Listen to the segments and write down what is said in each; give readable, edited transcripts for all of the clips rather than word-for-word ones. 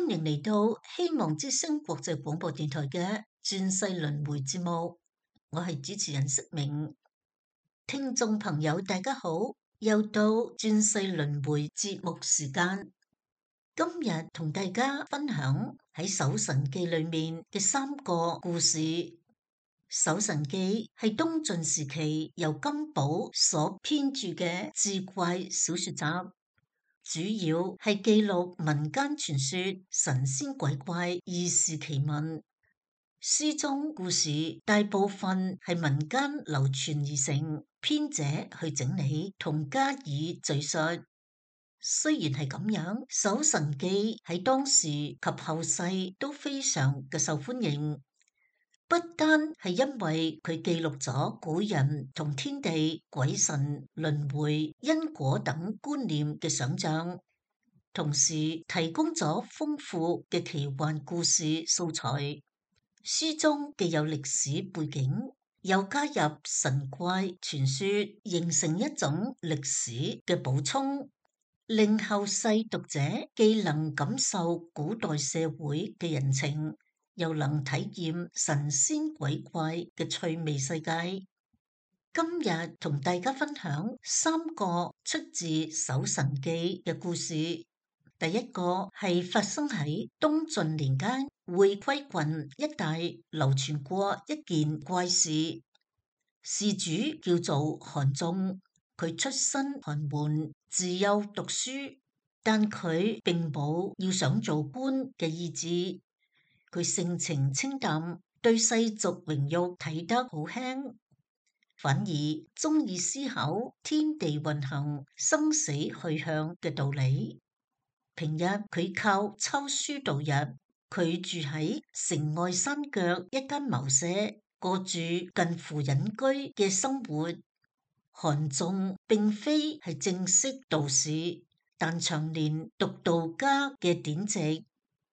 歡迎嚟到希望之聲國際廣播電台嘅轉世輪迴節目，我係主持人釋明。聽眾朋友大家好，又到轉世輪迴節目時間。今日同大家分享喺《搜神記》裏面嘅3個故事。《搜神記》係東晉時期由金寶所編著嘅志怪小說集，主要係記錄民間傳說、神仙鬼怪、異事奇聞。書中故事大部分係民間流傳而成，編者去整理同加以敘述。雖然係咁樣，《搜神記》喺當時及後世都非常嘅受歡迎，不單係因為佢記錄咗古人同天地、鬼神、輪迴、因果等觀念嘅想象，同時提供咗豐富嘅奇幻故事素材。書中既有歷史背景，又加入神怪傳說，形成一種歷史嘅補充，令後世讀者既能感受古代社會嘅人情，又能體驗神仙鬼怪嘅趣味世界。今日同大家分享3個出自《搜神記》嘅故事。第一個係發生喺東晉年間會稽郡一帶流傳過一件怪事。事主叫做韓縱，佢出身寒門，自幼讀書，但佢並冇要想做官嘅意志。佢性情清淡，對世俗榮辱睇得好輕，反而中意思考天地運行、生死去向嘅道理。平日佢靠抄書度日，佢住喺城外山腳一間茅舍，過住近乎隱居嘅生活。韓縱並非係正式道士，但長年讀道家嘅典籍，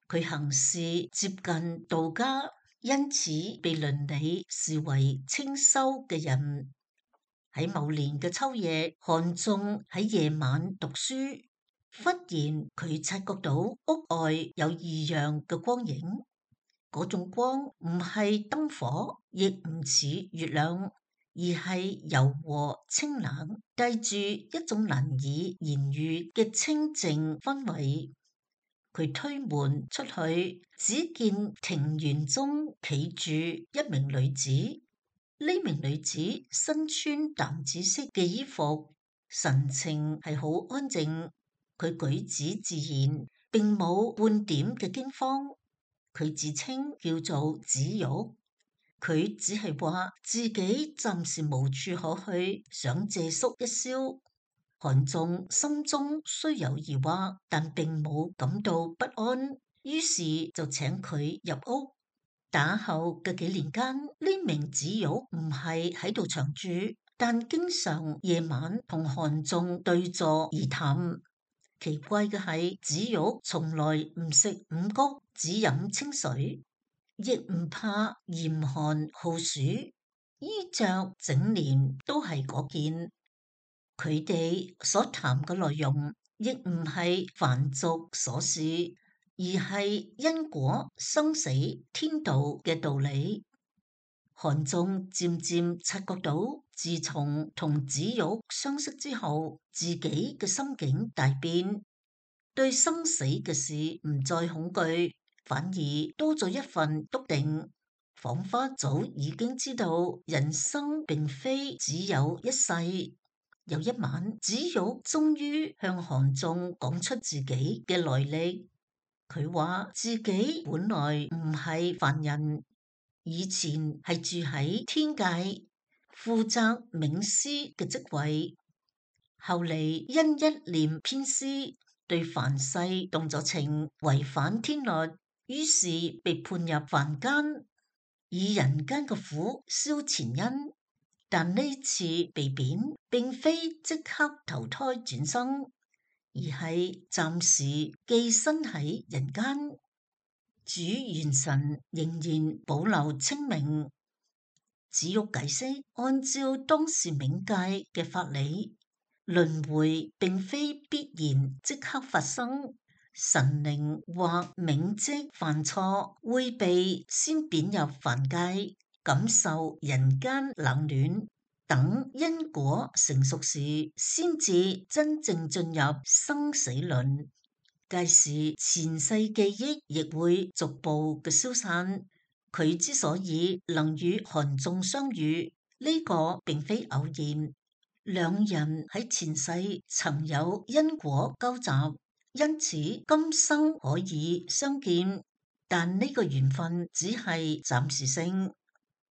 佢行事接近道家，因此被倫理視為清修嘅人。喺某年嘅秋夜，韓縱喺夜晚讀書，忽然佢察覺到屋外有異樣嘅光影，嗰種光唔係燈火，亦唔似月亮，而係柔和清冷，帶住一種難以言喻嘅清靜氛圍。佢推門出去，只見庭園中企住一名女子。呢名女子身穿淡紫色嘅衣服，神情係好安靜。佢舉止自然，並冇半點嘅驚慌。佢自稱叫做子玉，佢只係話自己暫時無處可去，想借宿一宵。韓縱心中雖有疑惑，但並冇感到不安，於是就請佢入屋。打後嘅幾年間，呢名子玉唔係喺度長住，但經常夜晚同韓縱對坐而談。奇怪嘅係，子玉從來唔食五穀，只飲清水，亦唔怕嚴寒酷暑，衣着整年都係嗰件。佢哋所談嘅內容亦唔係凡俗瑣事，而係因果、生死、天道嘅道理。韓縱漸漸察覺到，自從同子玉相識之後，自己嘅心境大變，對生死嘅事唔再恐懼，反而多咗一份篤定，仿佛早已經知道人生並非只有一世。有一晚，子玉終於向韓縱講出自己嘅來歷。佢話自己本來唔係凡人，以前係住喺天界，負責冥司嘅職位。後嚟因一念偏私，對凡世動咗情，違反天律，於是被判入凡間，以人間嘅苦消前因。但呢次被貶，並非即刻投胎轉生，而係暫時寄身喺人間。主元神仍然保留清明。子玉解釋，按照當時冥界嘅法理，輪迴並非必然即刻發生，神靈或冥職犯錯，會被先貶入凡界，感受人間冷暖，等因果成熟時，先至真正進入生死輪。屆時前世記憶亦會逐步嘅消散。佢之所以能與韓仲相遇，呢個並非偶然，兩人喺前世曾有因果交集，因此今生可以相見。但呢個緣分只係暫時性。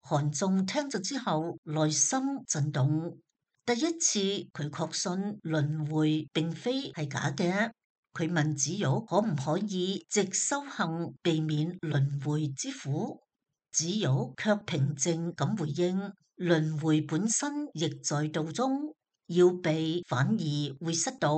韓仲聽咗之後，內心震動。第一次佢確信輪迴並非係假嘅。佢問子玉可唔可以藉修行避免輪迴之苦？子玉卻平靜咁回應：輪迴本身亦在道中，要避反而會失道。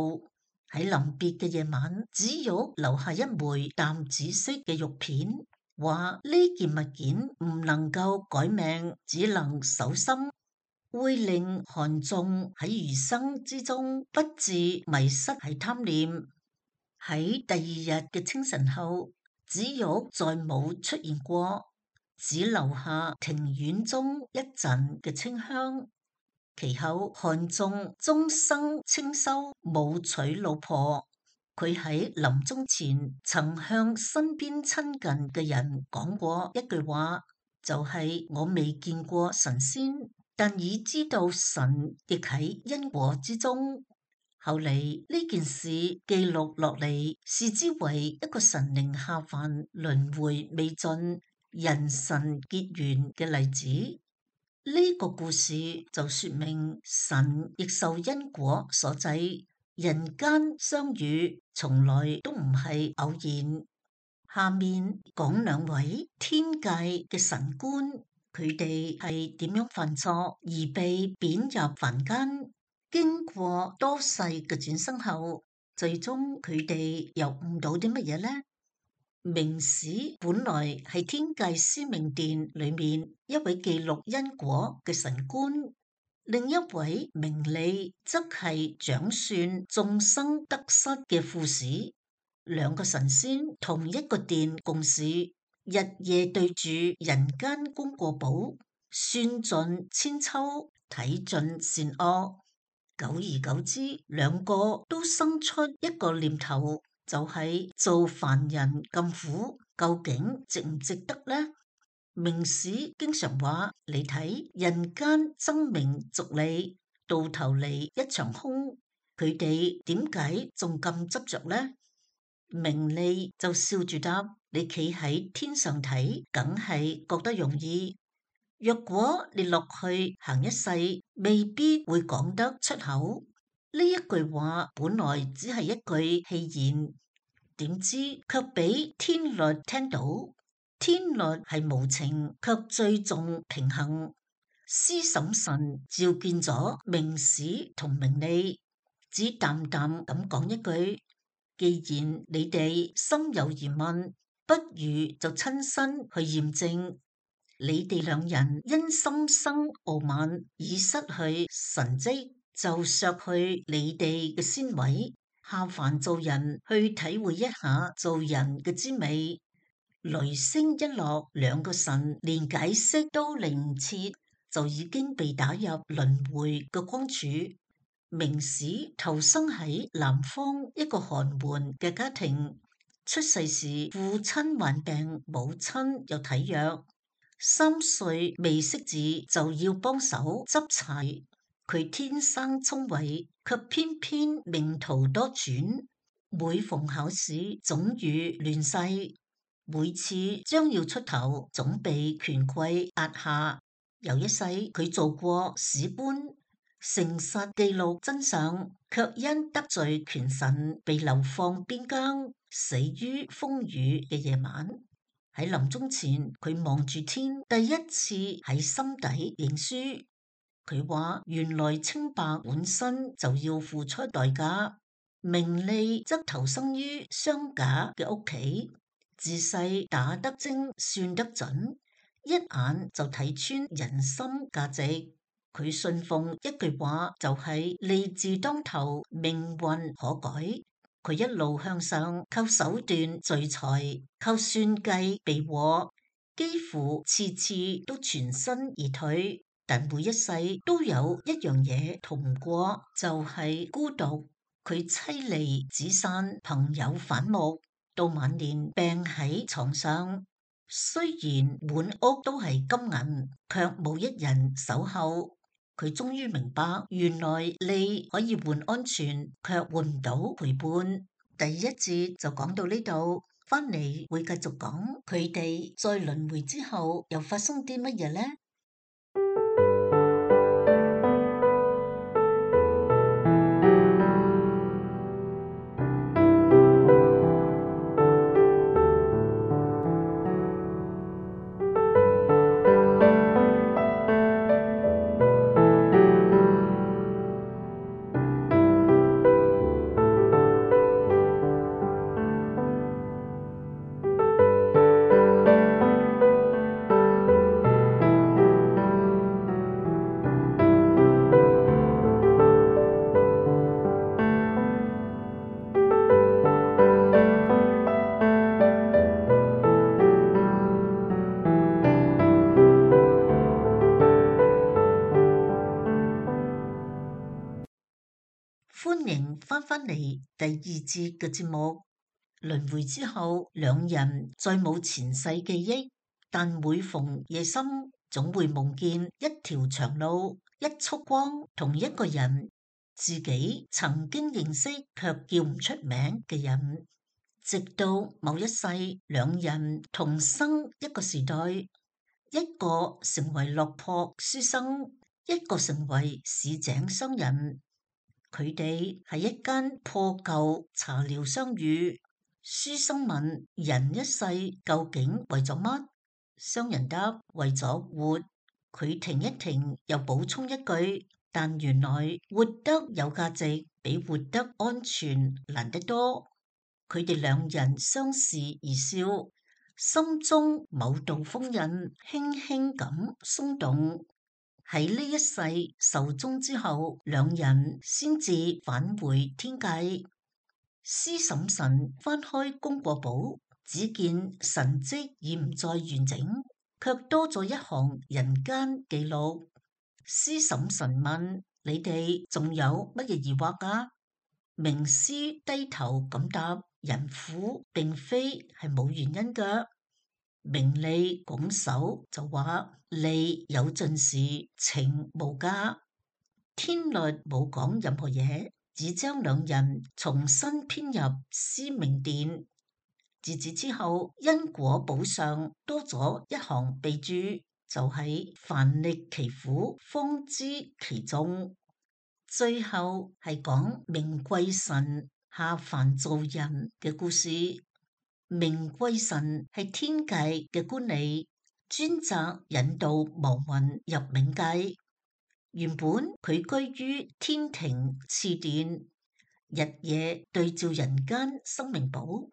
喺臨別嘅夜晚，子玉留下一枚淡紫色嘅玉片，話呢件物件唔能夠改命，只能守心，會令韓仲喺餘生之中不致迷失喺貪念。喺第二日嘅清晨後，子玉再冇出現過，只留下庭院中一陣嘅清香。其後韓仲終生清修，冇娶老婆。佢喺臨終前曾向身邊親近嘅人講過一句話，就係我未見過神仙，但已知道神亦喺因果之中。後嚟呢件事記錄落嚟，視之為一個神靈下凡輪迴未盡、人神結緣嘅例子。呢個故事就說明神亦受因果所制，人間相遇從來都唔係偶然。下面講兩位天界嘅神官，佢哋係點樣犯錯而被貶入凡間。經過多世嘅轉生後，最終佢哋又悟到啲乜嘢呢？明史本來係天界司命殿裏面一位記錄因果嘅神官，另一位明利則係掌算眾生得失嘅副使。兩個神仙同一個殿共事，日夜對住人間功過簿，算盡千秋，睇盡善惡。久而久之，兩個都生出一個念頭，就係做凡人咁苦，究竟值唔值得呢？明史經常話，你睇人間爭名逐利，到頭嚟一場空，佢哋點解仲咁執着呢？明利就笑住答：你企喺天上睇，梗係覺得容易。若果你落去行一世，未必會講得出口。呢一句話本來只係一句戲言，點知卻俾天律聽到。天律係無情，卻最重平衡。司審神召見咗明史同明利，只淡淡咁講一句：既然你哋心有疑問，不如就親身去驗證。你哋兩人因心生傲慢而失去神蹟，就削去你哋嘅仙位，下凡做人去體會一下做人嘅滋味。雷聲一落，兩個神連解釋都嚟唔切，就已經被打入輪迴嘅光柱。明史投生喺南方一個寒門嘅家庭，出世時父親患病，母親又體弱，3歲未識字就要幫手執柴。佢天生聰慧，卻偏偏命途多轉，每逢考試總遇亂世，每次將要出頭總被權貴壓下。有一世佢做過史官，誠實記錄真相，卻因得罪權臣被流放邊疆，死於風雨嘅夜晚。喺臨終前，佢望住天，第一次喺心底認輸。佢話原來清白本身就要付出代價。名利則投生於商賈嘅屋企，自細打得精，算得準，一眼就睇穿人心價值。佢信奉一句話，就係利字當頭，命運可改。佢一路向上，靠手段聚財，靠算計避禍，幾乎次次都全身而退。但每一世都有一樣嘢逃唔過，就係孤獨。佢妻離子散，朋友反目，到晚年病喺床上。雖然滿屋都係金銀，卻冇一人守候。佢終於明白，原來利可以換安全，卻換唔到陪伴。第一節就講到呢度，翻嚟會繼續講佢哋在輪迴之後又發生啲乜嘢呢？歡迎翻返嚟第二節嘅節目。輪迴之後，兩人再冇前世記憶，但每逢夜深，總會夢見一條長路、一束光，同一個人，自己曾經認識卻叫唔出名嘅人。直到某一世，兩人同生一個時代，一個成為落魄書生，一個成為市井商人。佢哋喺一間破舊茶寮相遇，書生問：人一世究竟為咗乜？商人答：為咗活。佢停一停，又補充一句：但原來活得有價值，比活得安全難得多。佢哋兩人相視而笑，心中某道封印輕輕咁鬆動。喺呢一世壽終之後，兩人先至返回天界。施嬸神翻開功過簿，只見神跡已唔再完整，卻多咗一行人間記錄。施嬸神問：你哋仲有乜嘢疑惑啊？名師低頭咁答：人苦並非係冇原因㗎。名利拱手就話：利有盡時，情無價。天律冇講任何嘢，只將兩人重新編入司命殿。自此之後，因果簿上多咗一行備註，就係凡歷其苦，方知其重。最後係講明貴神下凡做人嘅故事。明貴神係天界嘅官吏，專責引導亡魂入冥界。原本佢居於天庭賜殿，日夜對照人間生命簿，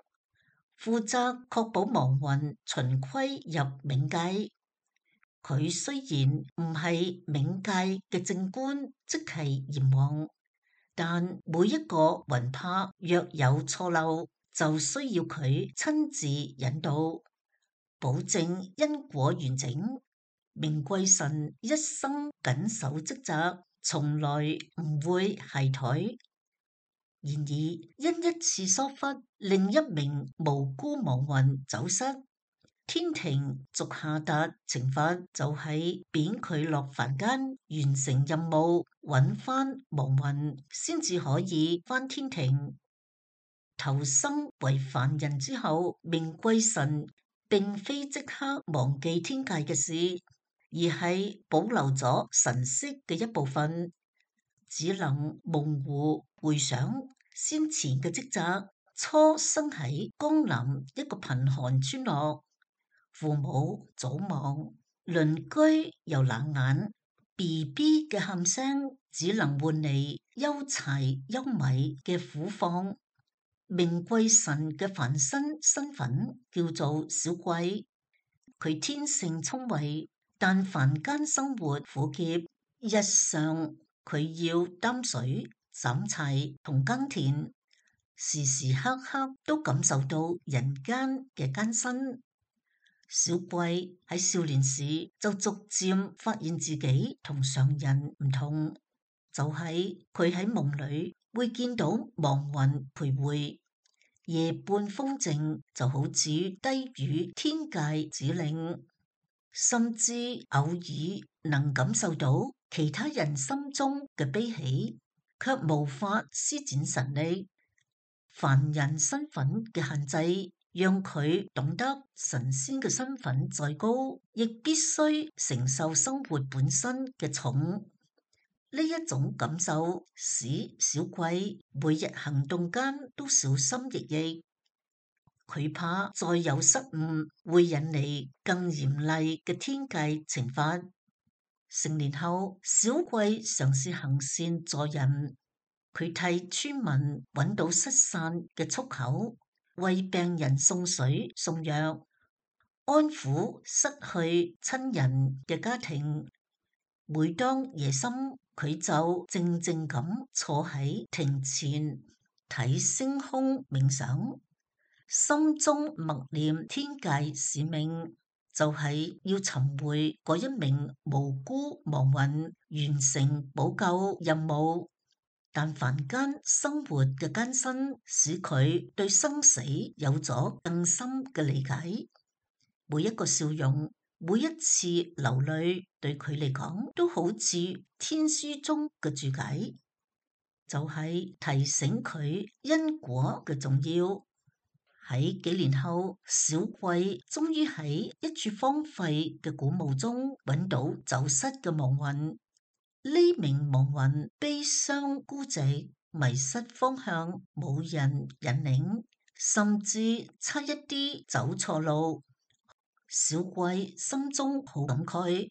負責確保亡魂循規入冥界。佢雖然唔係冥界嘅正官，即係閻王，但每一個魂魄若有錯漏，就需要佢親自引導，保證因果完整。明貴神一生謹守職責，從來唔會懈怠。然而因一次疏忽，另一名無辜亡魂走失，天庭逐下達懲罰，就係貶佢落凡間完成任務，揾翻亡魂，先至可以翻天庭。投生為凡人之後，明貴神並非即刻忘記天界嘅事，而係保留咗神識嘅一部分，只能模糊回想先前嘅職責。初生喺江南一個貧寒村落，父母早亡，鄰居又冷眼，BB 嘅喊聲只能換嚟憂柴憂米嘅苦況。明貴神嘅凡身身份叫做小貴，佢天性聰慧，但凡間生活苦澀，日常佢要擔水、斬柴同耕田，時時刻刻都感受到人間嘅艱辛。小貴喺少年時就逐漸發現自己同常人唔同，就係佢喺夢裏會見到亡魂徘徊，夜半風靜就好似低語天界指令，甚至偶爾能感受到其他人心中嘅悲喜，卻無法施展神力。凡人身份嘅限制，讓佢懂得神仙嘅身份再高，亦必須承受生活本身嘅重。呢一種感受使小貴每日行動間都小心翼翼，佢怕再有失誤會引嚟更嚴厲嘅天界懲罰。成年後，小貴嘗試行善助人。佢替村民揾到失散嘅出口，為病人送水送藥，安撫失去親人嘅家庭。每當夜深，佢就靜靜咁坐喺庭前睇星空冥想，心中默念天界使命，就係要尋回嗰一名無辜亡魂，完成補救任務。但凡間生活嘅艱辛，使佢對生死有咗更深嘅理解。每一個笑容，每一次流淚，對佢嚟講都好似天書中嘅注解，就係提醒佢因果嘅重要。喺幾年後，小貴終於喺一處荒廢嘅古墓中揾到走失嘅亡魂。呢名亡魂悲傷孤寂，迷失方向，冇人引領，甚至差一啲走錯路。小貴心中好感慨，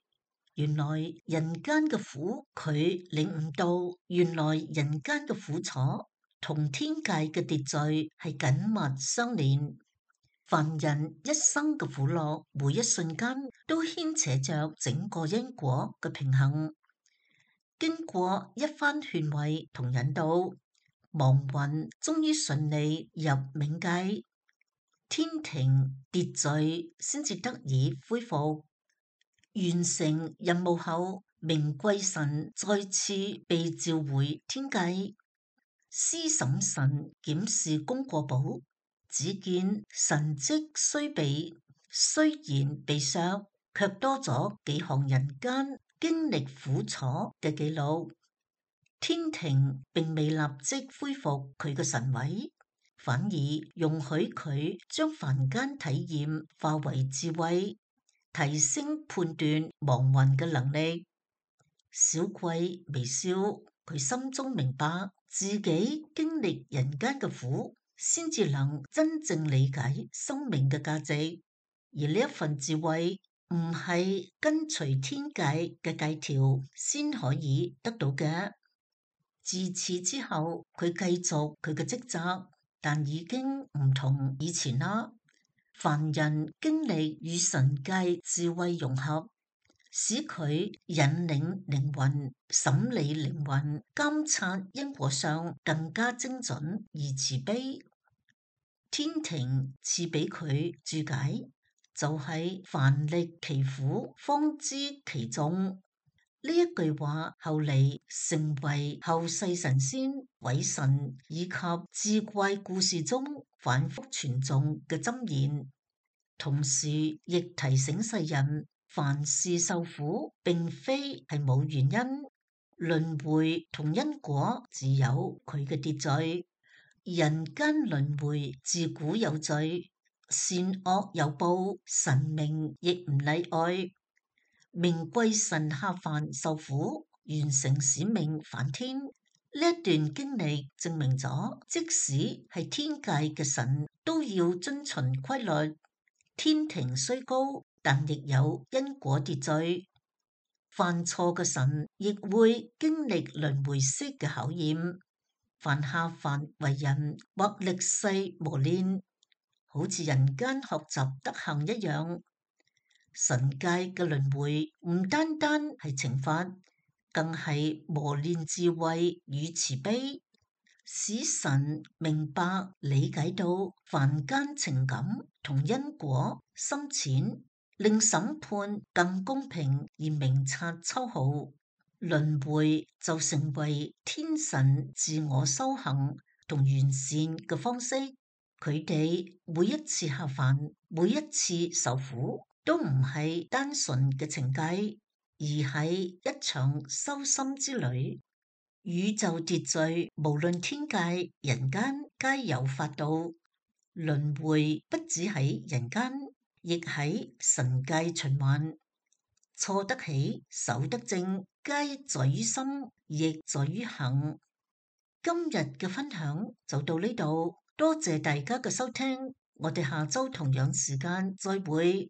原來人間嘅苦，佢領悟到，原來人間嘅苦楚同天界嘅秩序係緊密相連。凡人一生嘅苦樂，每一瞬間都牽扯着整個因果嘅平衡。經過一番勸慰同引導，亡魂終於順利入冥界，天庭秩序先至得以恢復。完成任務後，明貴神再次被召回天界。司審神檢視功過簿，只見神蹟雖然被削，卻多咗幾項人間經歷苦楚嘅記錄。天庭並未立即恢復佢嘅神位，反而容許佢將凡間體驗化為智慧，提升判斷亡魂嘅能力。小貴微笑，佢心中明白自己經歷人間嘅苦，先至能真正理解生命嘅價值。而呢一份智慧唔係跟隨天界嘅戒條先可以得到嘅。自此之後，佢繼續佢嘅職責，但已經唔同以前啦。凡人經歷與神界智慧融合，使佢引領靈魂、審理靈魂、監察因果上更加精準而慈悲。天庭賜俾佢注解，就係凡歷其苦，方知其重。呢一句話後嚟成為後世神仙、鬼神以及志怪故事中反覆傳頌嘅箴言，同時亦提醒世人，凡事受苦並非係冇原因，輪迴同因果自有佢嘅秩序，人間輪迴自古有序，善惡有報，神明亦唔例外。明貴神下凡受苦，完成使命返天。呢一段經歷證明咗，即使係天界嘅神都要遵循規律。天庭雖高，但亦有因果秩序。犯錯嘅神亦會經歷輪迴式嘅考驗。凡下凡為人或歷世磨練，好似人間學習德行一樣。神界嘅輪迴唔單單係懲罰，更係磨練智慧與慈悲。使神明白理解到凡間情感同因果深淺，令審判更公平而明察秋毫。輪迴就成為天神自我修行同完善嘅方式。佢哋每一次下凡，每一次受苦，都唔係單純嘅懲戒，而係一場修心之旅。宇宙秩序無論天界人間皆有法度，輪迴不止喺人間，亦喺神界循環。錯得起，守得正，皆在於心，亦在於行。今日嘅分享就到呢度，多謝大家嘅收聽，我哋下周同樣時間再會。